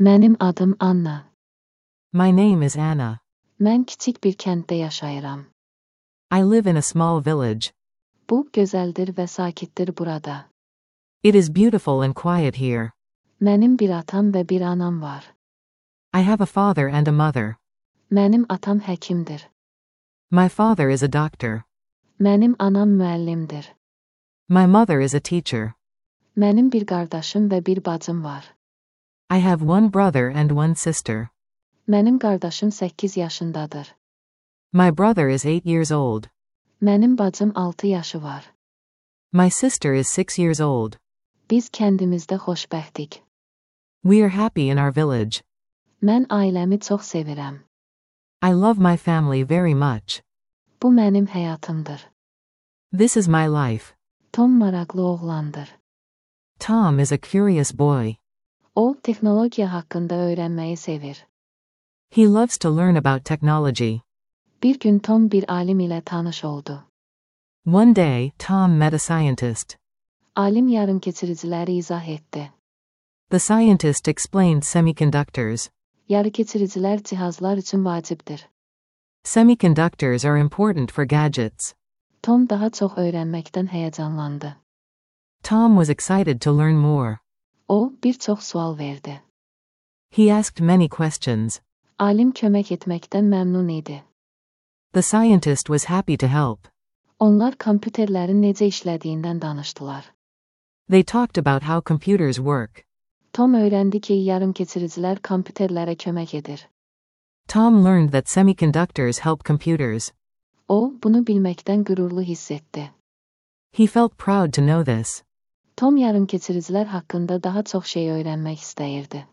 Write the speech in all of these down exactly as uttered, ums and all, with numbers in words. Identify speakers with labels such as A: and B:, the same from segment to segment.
A: Mənim adım Anna.
B: My name is Anna.
A: Mən kiçik bir kənddə yaşayıram.
B: I live in a small village.
A: Bu, gözəldir və sakitdir burada.
B: It is beautiful and quiet here.
A: Mənim bir atam və bir anam var.
B: I have a father and a mother.
A: Mənim atam həkimdir.
B: My father is a doctor.
A: Mənim anam müəllimdir.
B: My mother is a teacher.
A: Mənim bir qardaşım və bir bacım var.
B: I have one brother and one sister.
A: Mənim qardaşım səkkiz yaşındadır.
B: My brother is eight years old.
A: Mənim bacım altı yaşı var.
B: My sister is six years old.
A: Biz kəndimizdə xoşbəxtik.
B: We are happy in our village.
A: Mən ailəmi çox sevirəm.
B: I love my family very much.
A: Bu mənim həyatımdır.
B: This is my life.
A: Tom maraqlı oğlandır.
B: Tom is a curious boy.
A: O, texnologiya haqqında öyrənməyi sevir.
B: He loves to learn about technology.
A: Bir gün Tom bir alim ilə tanış oldu.
B: One day, Tom met a scientist.
A: Alim yarımkeçiriciləri izah etdi.
B: The scientist explained semiconductors.
A: Yarıkeçiricilər cihazlar üçün vacibdir.
B: Semiconductors are important for gadgets.
A: Tom daha çox öyrənməkdən həyəcanlandı.
B: Tom was excited to learn more.
A: O, bir çox sual verdi.
B: He asked many questions.
A: Alim kömək etməkdən məmnun idi.
B: The scientist was happy to help.
A: Onlar kompüterlərin necə işlədiyindən danışdılar.
B: They talked about how computers work.
A: Tom öyrəndi ki, yarımkeçiricilər kompüterlərə kömək edir.
B: Tom learned that semiconductors help computers.
A: O, bunu bilməkdən qürurlu hiss etdi.
B: He felt proud to know this.
A: Tom yarımkeçiricilər haqqında daha çox şey öyrənmək istəyirdi.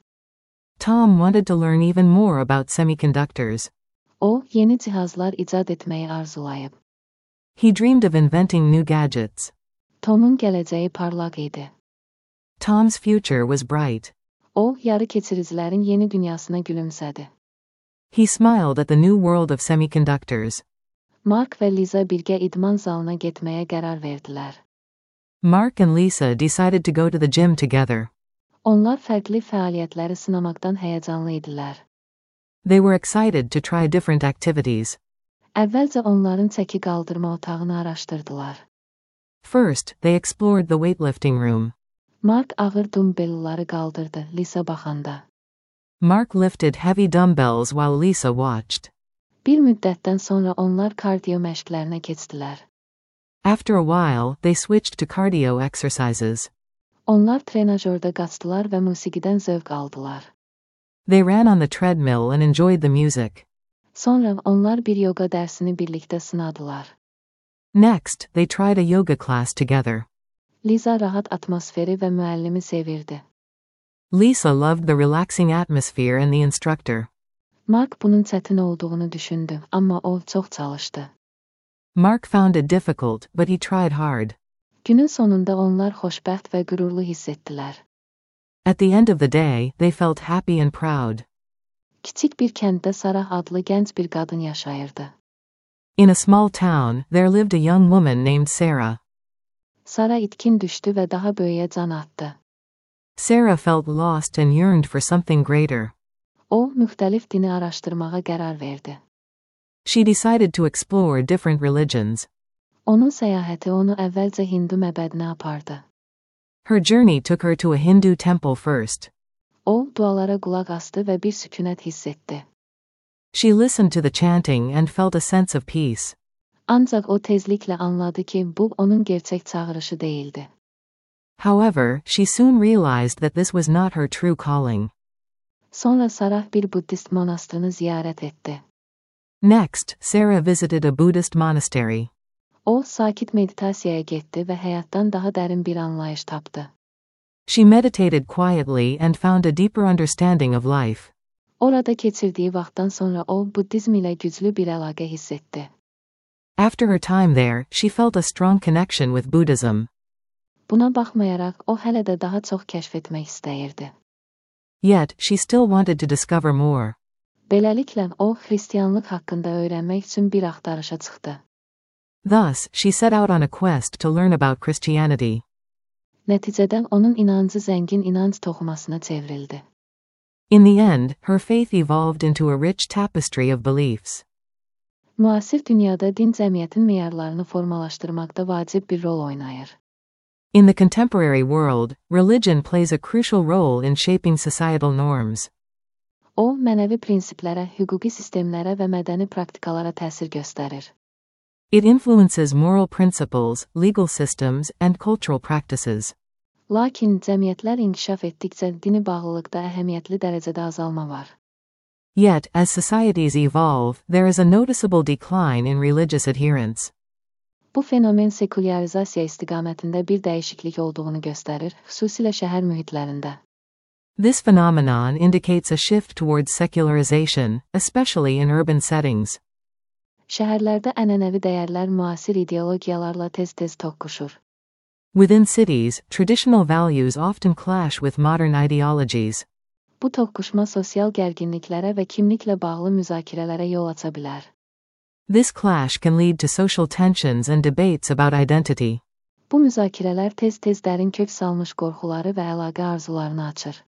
B: Tom wanted to learn even more about semiconductors.
A: O, yeni cihazlar icad etməyi arzulayıb.
B: He dreamed of inventing new gadgets.
A: Tomun gələcəyi parlaq idi.
B: Tom's future was bright.
A: O, yarıkeçiricilərin yeni dünyasına gülümsədi.
B: He smiled at the new world of semiconductors.
A: Mark və Liza birgə idman zalına getməyə qərar verdilər.
B: Mark and Lisa decided to go to the gym together.
A: Onlar fərqli fəaliyyətləri sınamaqdan həyəcanlı idilər.
B: They were excited to try different activities.
A: Əvvəlcə onların çəki qaldırma otağını araşdırdılar.
B: First, they explored the weightlifting room.
A: Mark ağır dumbbellları qaldırdı, Lisa baxanda.
B: Mark lifted heavy dumbbells while Lisa watched.
A: Bir müddətdən sonra onlar kardiyo məşqlərinə keçdilər.
B: After a while, they switched to cardio exercises.
A: Onlar trenajördə qaçdılar və musiqidən zövq aldılar.
B: They ran on the treadmill and enjoyed the music.
A: Sonra onlar bir yoga dərsini birlikdə sınadılar.
B: Next, they tried a yoga class together.
A: Liza rahat atmosferi və müəllimi sevirdi.
B: Lisa loved the relaxing atmosphere and the instructor.
A: Mark bunun çətin olduğunu düşündü, amma o çox çalışdı.
B: Mark found it difficult, but he tried hard.
A: Günün sonunda onlar xoşbəxt və qürurlu hiss etdilər.
B: At the end of the day, they felt happy and proud.
A: Kiçik bir kənddə Sarah adlı gənc bir qadın yaşayırdı.
B: In a small town, there lived a young woman named Sarah.
A: Sarah itkin düşdü və daha böyüyə can atdı.
B: Sarah felt lost and yearned for something greater.
A: O, müxtəlif dini araşdırmağa qərar verdi.
B: She decided to explore different religions.
A: Onun səyahəti onu əvvəlcə Hindu məbədinə apardı.
B: Her journey took her to a Hindu temple first.
A: O, dualara qulaq asdı və bir sükunət hiss etdi.
B: She listened to the chanting and felt a sense of peace.
A: Ancaq o tezliklə anladı ki, bu onun gerçək çağırışı değildi.
B: However, she soon realized that this was not her true calling.
A: Sonra Sarah bir Buddhist monastırını ziyarət etdi.
B: Next, Sarah visited a Buddhist monastery.
A: O, sakit meditasiyaya getdi və həyatdan daha dərin bir anlayış tapdı.
B: She meditated quietly and found a deeper understanding of life.
A: Orada keçirdiyi vaxtdan sonra o, Buddizm ilə güclü bir əlaqə hiss etdi.
B: After her time there, she felt a strong connection with Buddhism.
A: Buna baxmayaraq, o hələ də daha çox kəşf etmək istəyirdi.
B: Yet, she still wanted to discover more.
A: Beləliklə, o, xristianlıq haqqında öyrənmək üçün bir axtarışa çıxdı.
B: Thus, she set out on a quest to learn about Christianity.
A: Nəticədə onun inancı zəngin inanc toxumasına çevrildi.
B: In the end, her faith evolved into a rich tapestry of beliefs.
A: Müasir dünyada din cəmiyyətin meyarlarını formalaşdırmaqda vacib bir rol oynayır.
B: In the contemporary world, religion plays a crucial role in shaping societal norms.
A: O, mənəvi prinsiplərə, hüquqi sistemlərə və mədəni praktikalara təsir göstərir.
B: It influences moral principles, legal systems, and cultural practices.
A: Lakin cəmiyyətlər inkişaf etdikcə dini bağlılıqda əhəmiyyətli dərəcədə azalma var.
B: Yet, as societies evolve, there is a noticeable decline in religious adherence.
A: Bu fenomen sekularizasiya istiqamətində bir dəyişiklik olduğunu göstərir, xüsusilə şəhər mühitlərində.
B: This phenomenon indicates a shift towards secularization, especially in urban settings.
A: Şəhərlərdə ənənəvi dəyərlər müasir ideologiyalarla tez-tez toqquşur.
B: Within cities, traditional values often clash with modern ideologies.
A: Bu toqquşma sosial gərginliklərə və kimliklə bağlı müzakirələrə yol aça bilər.
B: This clash can lead to social tensions and debates about identity.
A: Bu müzakirələr tez-tez dərin kök salmış qorxuları və əlaqə arzularını açır.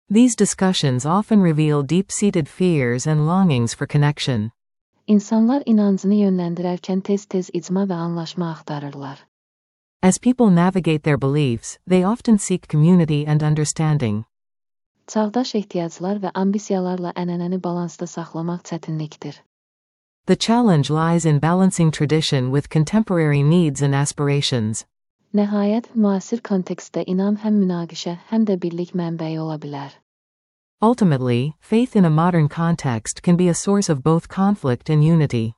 B: These discussions often reveal deep-seated fears and longings for connection.
A: İnsanlar inancını yönləndirərkən tez-tez icma və anlaşma axtarırlar.
B: As people navigate their beliefs, they often seek community and understanding.
A: Çağdaş ehtiyaclar və ambisiyalarla ənənəni balansda saxlamaq çətinlikdir.
B: The challenge lies in balancing tradition with contemporary needs and aspirations.
A: Nəhayət, müasir kontekstdə inam həm münaqişə, həm də birlik mənbəyi ola bilər.
B: Ultimately, faith in a modern context can be a source of both conflict and unity.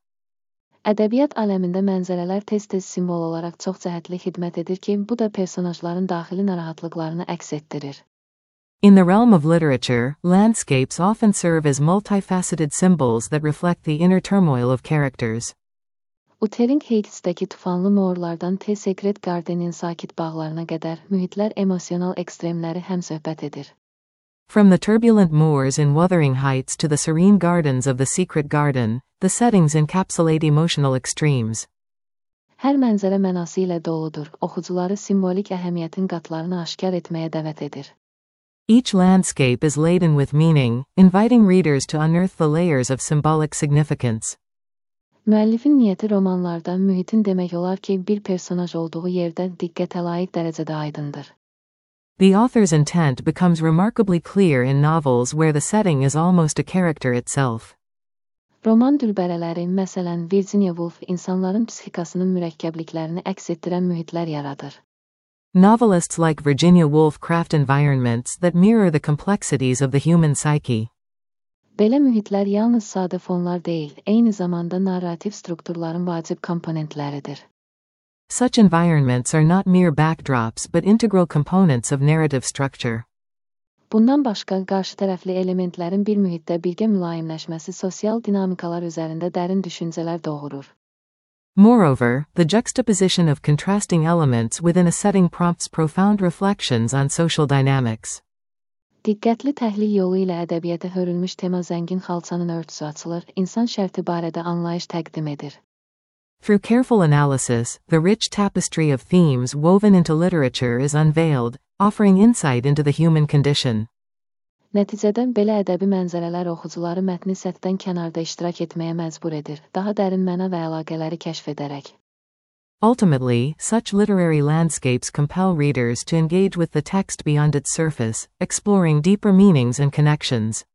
A: Ədəbiyyat aləmində mənzərələr tez-tez simvol olaraq çox cəhətli xidmət edir ki, bu da personajların daxili narahatlıqlarını əks etdirir.
B: In the realm of literature, landscapes often serve as multifaceted symbols that reflect the inner turmoil of characters.
A: Wuthering Heights'dəki tufanlı moorlardan T. Secret Garden'in sakit bağlarına qədər mühitlər emosional ekstremləri həmsöhbət edir.
B: From the turbulent moors in Wuthering Heights to the serene gardens of the Secret Garden, the settings encapsulate emotional extremes.
A: Hər mənzərə mənası ilə doludur, oxucuları simvolik əhəmiyyətin qatlarını aşkar etməyə dəvət edir.
B: Each landscape is laden with meaning, inviting readers to unearth the layers of symbolic significance.
A: Müəllifin niyyəti romanlarda mühitin demək olar ki, bir personaj olduğu yerdə diqqətə layiq dərəcədə aydındır.
B: The author's intent becomes remarkably clear in novels where the setting is almost a character itself.
A: Roman dülbərələri, məsələn Virginia Woolf, insanların psixikasının mürəkkəbliklərini əks etdirən mühitlər yaradır.
B: Novelists like Virginia Woolf craft environments that mirror the complexities of the human psyche.
A: Belə mühitlər yalnız sadə fonlar deyil, eyni zamanda narrativ strukturların vacib komponentləridir.
B: Such environments are not mere backdrops but integral components of narrative structure.
A: Bundan başqa, qarşı tərəfli elementlərin bir mühitdə birgə mülayimləşməsi sosial dinamikalar üzərində dərin düşüncələr doğurur.
B: Moreover, the juxtaposition of contrasting elements within a setting prompts profound reflections on social dynamics.
A: Diqqətli təhlil yolu ilə ədəbiyyata hörülmüş tema zəngin xalçanın örtüsü açılır, insan şərti barədə anlayış təqdim edir.
B: Through careful analysis, the rich tapestry of themes woven into literature is unveiled, offering insight into the human condition.
A: Nəticədə belə ədəbi mənzərələr oxucuları mətni səthdən kənarda iştirak etməyə məcbur edir, daha dərin məna və əlaqələri kəşf edərək.
B: Ultimately, such literary landscapes compel readers to engage with the text beyond its surface, exploring deeper meanings and connections.